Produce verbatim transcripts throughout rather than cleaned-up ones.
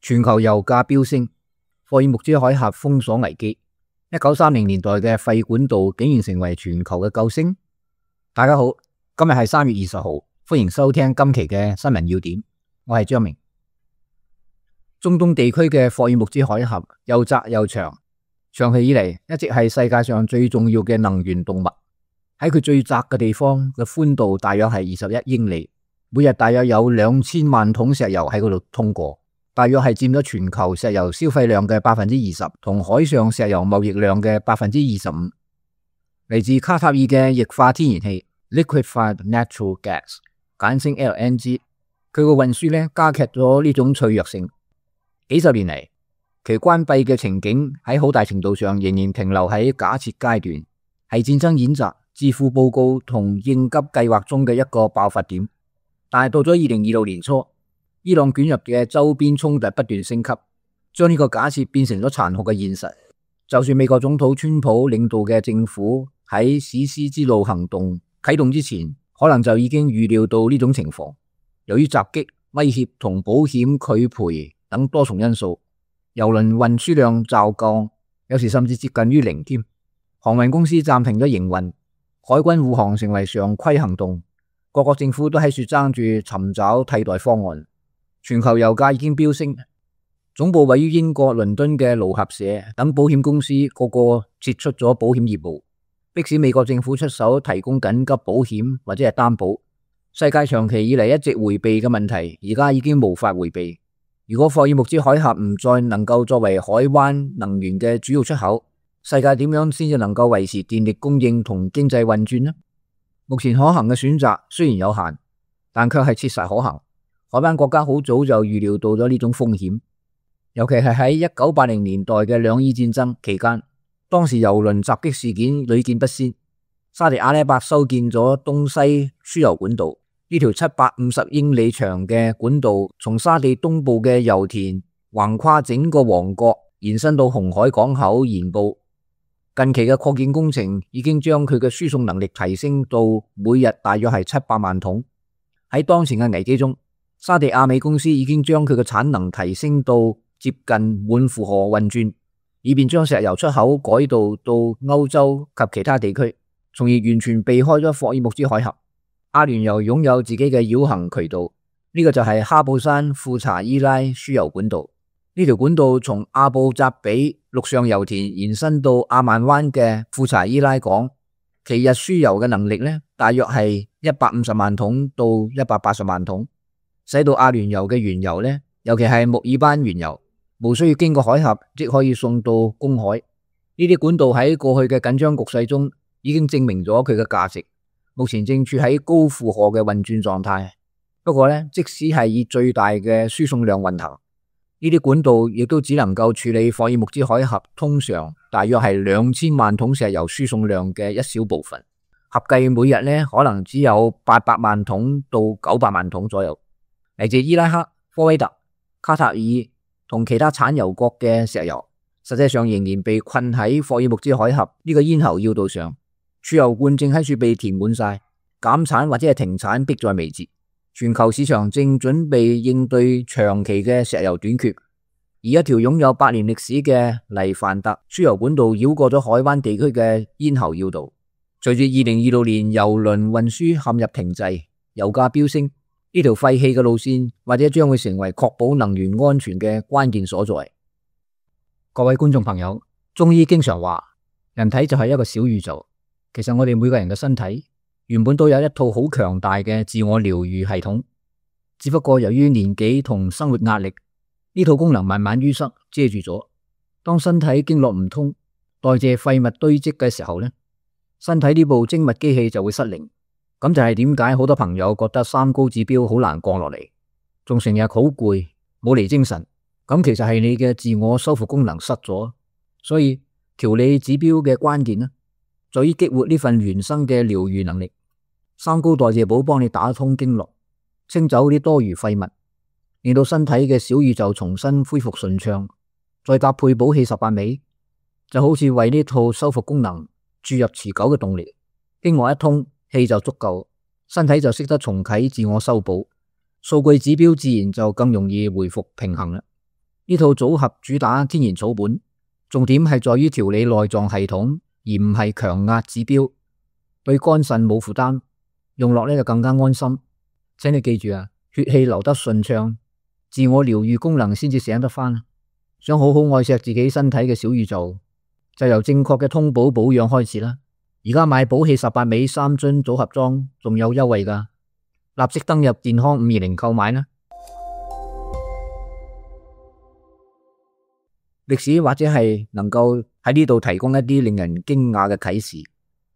全球油價飆升，霍爾木茲海峽封鎖危機，一九三零年代嘅廢管道竟然成為全球嘅救星。大家好，今日係三月二十號，歡迎收聽今期嘅新聞要點，我係張明。中東地區嘅霍爾木茲海峽又窄又長，長期以嚟一直係世界上最重要嘅能源動脈。喺佢最窄嘅地方嘅寬度大約係二十一英里，每日大約有兩千萬桶石油喺嗰度通過，大約係佔咗全球石油消費量嘅百分之二十，同海上石油貿易量嘅百分之二十五。嚟自卡塔爾嘅液化天然氣 （Liquefied Natural Gas）， 簡稱 L N G， 佢個運輸咧加劇咗呢種脆弱性。幾十年嚟，其關閉嘅情景喺好大程度上仍然停留喺假設階段，係戰爭演習、致富報告同應急計劃中嘅一個爆發點。但係到咗二零二六年初，伊朗捲入嘅周邊衝突不斷升級，將呢個假設變成咗殘酷嘅現實。就算美國總統川普領導嘅政府喺史詩之路行動啟動之前，可能就已經預料到呢種情況。由於襲擊、威脅同保險拒賠等多重因素，油輪運輸量驟降，有時甚至接近於零添。航運公司暫停咗營運，海軍護航成為常規行動，各國政府都喺度爭住尋找替代方案。全球油價已經飆升，總部位於英國倫敦嘅勞合社等保險公司個個撤出咗保險業務，迫使美國政府出手提供緊急保險或者係擔保。世界長期以嚟一直回避嘅問題，而家已經無法回避。如果霍爾木茲海峽唔再能夠作為海灣能源嘅主要出口，世界點樣先至能夠維持電力供應同經濟運轉呢？目前可行嘅選擇雖然有限，但卻係切實可行。海灣國家好早就預料到咗呢種風險，尤其係喺一九八零年代嘅兩伊戰爭期間，當時油輪襲擊事件屢見不鮮。沙地阿拉伯修建咗東西輸油管道，呢條七百五十英里長嘅管道從沙地東部嘅油田橫跨整個王國，延伸到紅海港口沿部。近期嘅擴建工程已經將佢嘅輸送能力提升到每日大約係七百萬桶。喺當前嘅危機中，沙地阿美公司已經將佢嘅產能提升到接近滿負荷運轉，以便將石油出口改道到歐洲及其他地區，從而完全避開咗霍爾木茲海峽。阿聯酋擁有自己嘅繞行渠道，呢、這個就係哈布山富查伊拉輸油管道。呢條管道從阿布扎比陸上油田延伸到阿曼灣嘅富查伊拉港，其日輸油嘅能力呢，大約係一百五十萬桶到一百八十萬桶，使到阿聯酋嘅原油呢，尤其係穆爾班原油，無需要經過海峽即可以送到公海。呢啲管道喺過去嘅緊張局勢中已經證明咗佢嘅價值，目前正處喺高負荷嘅運轉狀態。不過呢，即使係以最大嘅輸送量運行，呢啲管道亦都只能夠處理霍爾木茲海峽通常大約係兩千萬桶石油輸送量嘅一小部分，合計每日呢可能只有八百萬桶到九百萬桶左右。嚟自伊拉克、科威特、卡塔爾同其他產油國嘅石油，實際上仍然被困喺霍爾木茲海峽呢個咽喉要道上，儲油罐正喺處被填滿晒，減產或者係停產迫在眉睫。全球市場正準備應對長期嘅石油短缺，而一條擁有百年歷史嘅黎凡特輸油管道繞過咗海灣地區嘅咽喉要道。隨住二零二六年油輪運輸陷入停滯，油價飆升，呢條廢棄嘅路線或者將會成為確保能源安全嘅關鍵所在。各位觀眾朋友，中醫經常話人體就係一個小宇宙，其實我哋每個人嘅身體原本都有一套好強大嘅自我療愈系統，只不過由於年紀同生活壓力，呢套功能慢慢淤塞遮住咗。當身體經絡唔通，代謝廢物堆積嘅時候呢，身體呢部精密機器就會失靈。咁就係點解好多朋友覺得三高指標好難降落嚟，仲成日好攰，冇嚟精神。咁其實係你嘅自我修復功能失咗。所以調理指標嘅關鍵呢，在於激活呢份原生嘅療愈能力。三高代謝寶幫你打通經絡，清走啲多餘廢物，令到身體嘅小宇宙重新恢復順暢。再搭配補氣十八味，就好似為呢套修復功能注入持久嘅動力。經絡一通，氣就足夠，身體就識得重啟自我修補，數據指標自然就更容易回復平衡啦。呢套組合主打天然草本，重點係在於調理內臟系統，而唔係強壓指標，對肝腎冇負擔，用落呢就更加安心。請你記住啊，血氣流得順暢，自我療癒功能先至醒得返。想好好愛錫自己身體嘅小宇宙，就由正確嘅通寶保養開始啦。而家買寶氣十八味三樽組合裝仲有優惠㗎，立即登入健康五二零購買啦。歷史或者係能夠喺呢度提供一啲令人驚訝嘅啟示，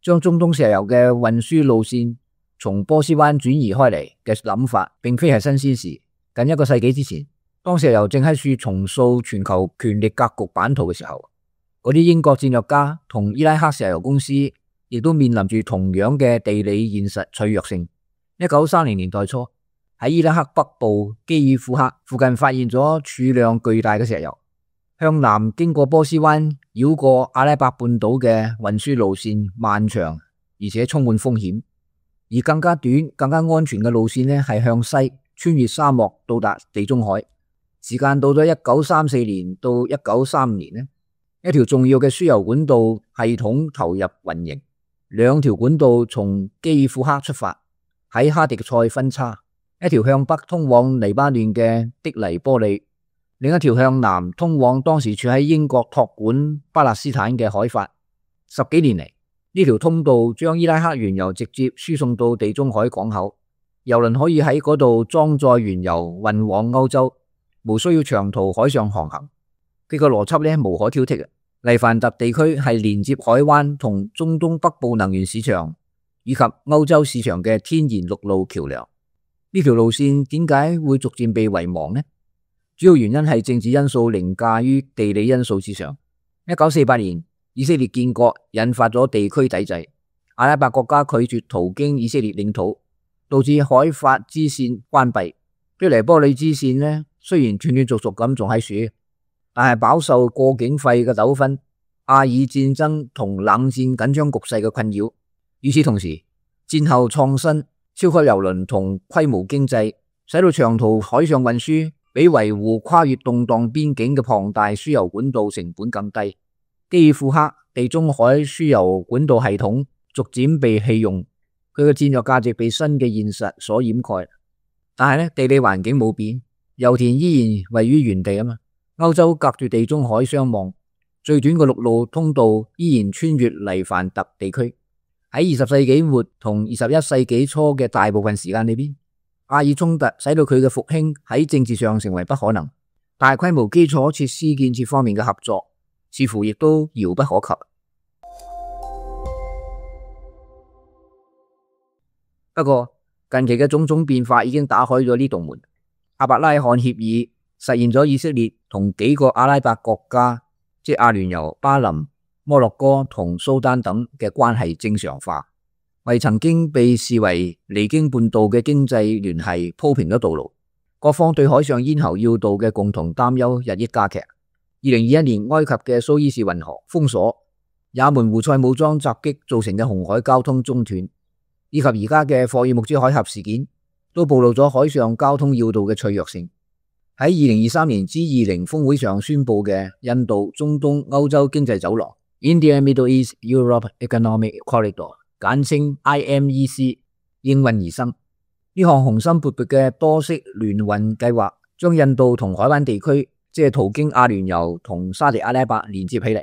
將中東石油嘅運輸路線從波斯灣轉移開嚟嘅諗法，並非係新鮮事。近一個世紀之前，當石油正喺處重塑全球權力格局版圖嘅時候，嗰啲英國戰略家同伊拉克石油公司亦都面臨住同樣嘅地理現實脆弱性。一九三零年代初，喺伊拉克北部基爾庫克附近發現咗儲量巨大嘅石油。向南經過波斯灣繞過阿拉伯半島嘅運輸路線漫長，而且充滿風險。而更加短、更加安全嘅路線呢，係向西穿越沙漠到達地中海。時間到咗一九三四年到一九三五年呢，一條重要嘅輸油管道系統投入運營。兩條管道從基爾庫克出發，喺哈迪塞分叉，一條向北通往黎巴嫩嘅的黎波里，另一條向南通往當時處喺英國託管巴勒斯坦嘅海法。十幾年嚟，呢條通道將伊拉克原油直接輸送到地中海港口，油輪可以喺嗰度裝載原油運往歐洲，無需要長途海上航行。佢個邏輯呢無可挑剔嘅。黎凡特地區係連接海灣同中東北部能源市場以及歐洲市場嘅天然陸路橋樑。呢條路線點解會逐漸被遺忘呢？主要原因係政治因素凌駕於地理因素之上。一九四八年，以色列建國引發咗地區抵制，阿拉伯國家拒絕途經以色列領土，導致海法支線關閉。的黎波里支線呢，雖然斷斷續續咁仲喺處，但係飽受過境費嘅糾紛、阿爾戰爭同冷戰緊張局勢嘅困擾。與此同時，戰後創新、超級郵輪同規模經濟，使到長途海上運輸比維護跨越動盪邊境嘅龐大輸油管道成本更低。基爾庫克地中海輸油管道系統逐漸被棄用，佢嘅戰略價值被新嘅現實所掩蓋。但係呢，地理環境冇變，油田依然位於原地啊嘛。歐洲隔住地中海相望，最短嘅陸路通道依然穿越黎凡特地區。喺二十世紀末同二十一世紀初嘅大部分時間裏邊，阿爾衝突使到佢嘅復興喺政治上成為不可能，大規模基礎設施建設方面嘅合作似乎亦都遙不可及。不過近期嘅種種變化已經打開咗呢道門。阿伯拉罕協議實現咗以色列同幾個阿拉伯國家，即阿聯酋、巴林、摩洛哥同蘇丹等嘅關係正常化，為曾經被視為離經叛道嘅經濟聯繫鋪平咗道路。各方對海上咽喉要道嘅共同擔憂日益加劇。二零二一年埃及嘅蘇伊士運河封鎖，也門胡塞武裝襲擊造成嘅紅海交通中斷，以及而家嘅霍爾木茲海峽事件，都暴露咗海上交通要道嘅脆弱性。喺二零二三年 G 二十 峰會上宣布嘅印度、中東、歐洲經濟走廊 India Middle East Europe Economic Corridor， 簡稱 I M E C， 應運而生。呢項雄心勃勃嘅多式聯運計劃，將印度同海灣地區，即係途經阿聯酋同沙特阿拉伯連接起嚟，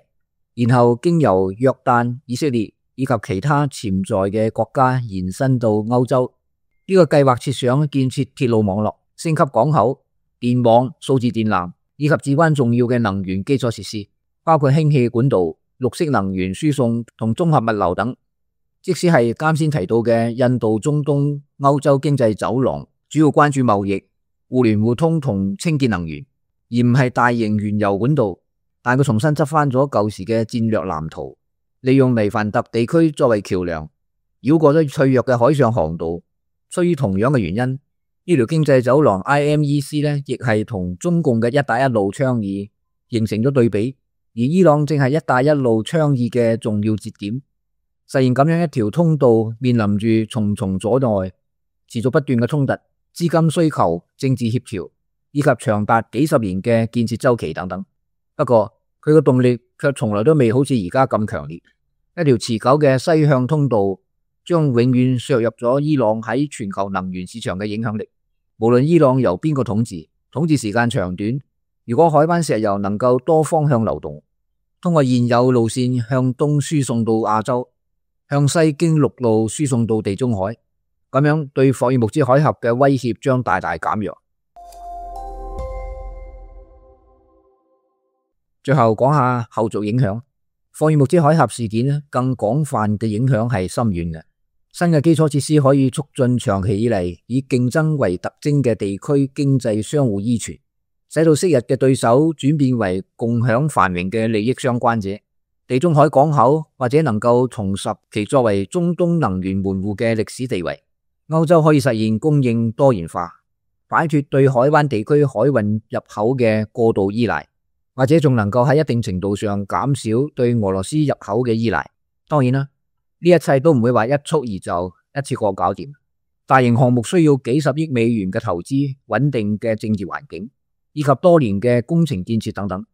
然後經由約旦、以色列以及其他潛在嘅國家延伸到歐洲。呢、這個計劃設想建設鐵路網絡、升級港口、電網、數字電纜以及至關重要嘅能源基礎設施，包括氫氣管道、綠色能源輸送同綜合物流等。即使係啱先提到嘅印度、中東、歐洲經濟走廊，主要關注貿易、互聯互通同清潔能源，而唔係大型原油管道。但佢重新執翻咗舊時嘅戰略藍圖，利用黎凡特地區作為橋樑，繞過咗脆弱嘅海上航道。出於同樣嘅原因，呢條經濟走廊 I M E C 呢，亦係同中共嘅一帶一路倡議形成咗對比。而伊朗正係一帶一路倡議嘅重要節點，實現咁樣一條通道，面臨住重重阻礙、持續不斷嘅衝突、資金需求、政治協調、以及長達幾十年嘅建設周期等等。不過佢嘅動力卻從來都未好似而家咁強烈。一條持久嘅西向通道將永遠削弱咗伊朗喺全球能源市場嘅影響力。無論伊朗由邊個統治，統治時間長短，如果海灣石油能夠多方向流動，通過現有路線向東輸送到亞洲，向西經陸路輸送到地中海，咁樣對霍爾木茲海峽嘅威脅將大大減弱。最後講下後續影響。霍爾木茲海峽事件更廣泛嘅影響係深遠嘅。新嘅基礎設施可以促進長期以嚟以競爭為特徵嘅地區經濟相互依存，使到昔日嘅對手轉變為共享繁榮嘅利益相關者。地中海港口或者能夠重拾其作為中東能源門戶嘅歷史地位。歐洲可以實現供應多元化，擺脫對海灣地區海運入口嘅過度依賴，或者仲能夠喺一定程度上減少對俄羅斯入口嘅依賴。當然啦，呢一切都唔會話一蹴而就，一次過搞掂。大型項目需要幾十億美元嘅投資、穩定嘅政治環境，以及多年嘅工程建設等等。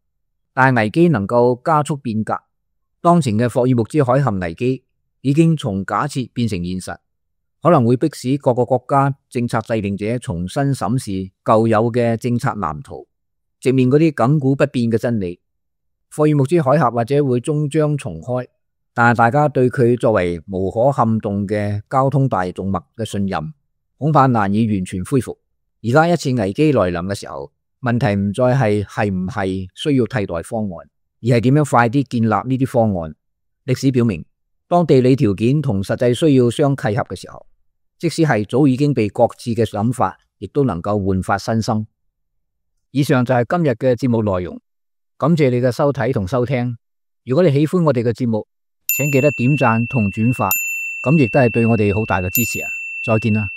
但係危機能夠加速變革。當前嘅霍爾木茲海峽危機已經從假設變成現實，可能會迫使各個國家政策制定者重新審視舊有嘅政策藍圖，直面嗰啲亘古不變嘅真理。霍爾木茲海峽或者會終將重開，但係大家對佢作為無可撼動嘅交通大動脈嘅信任，恐怕難以完全恢復。而家一次危機來臨嘅時候，問題唔再係係唔係需要替代方案，而係點樣快啲建立呢啲方案。歷史表明，當地理條件同實際需要相契合嘅時候，即使係早已經被擱置嘅諗法，亦都能夠煥發新生。以上就係今日嘅節目內容，感謝你嘅收睇同收聽。如果你喜歡我哋嘅節目，請記得點讚同轉發，咁亦都係對我哋好大嘅支持啊！再見啦。